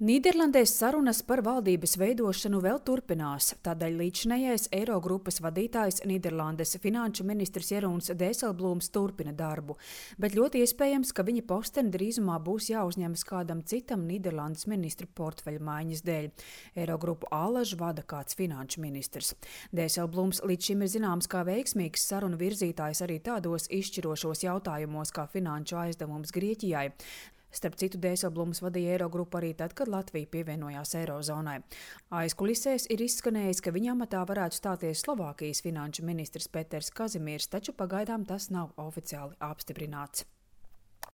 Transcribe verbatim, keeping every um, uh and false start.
Nīderlandēs sarunas par valdības veidošanu vēl turpinās, tādēļ līdzinējais Eirogrupas vadītājs Nīderlandes finanšu ministrs Jeroens Dijsselbloems turpina darbu, bet ļoti iespējams, ka viņa posteni drīzumā būs jāuzņemas kādam citam Nīderlandes ministru portfeļa maiņas dēļ. Eirogrupu allaž vada kāds finanšu ministrs. Dijsselbloems līdz šim ir zināms kā veiksmīgs sarunu virzītājs arī tādos izšķirošos jautājumos kā finanšu aizdevums Grieķijai. Starp citu, Dijsselbloems vadīja Eirogrupu arī tad, kad Latvija pievienojās Eirozonai. Aizkulisēs ir izskanējis, ka viņa amatā varētu stāties Slovākijas finanšu ministrs Peters Kazimīrs, taču pagaidām tas nav oficiāli apstiprināts.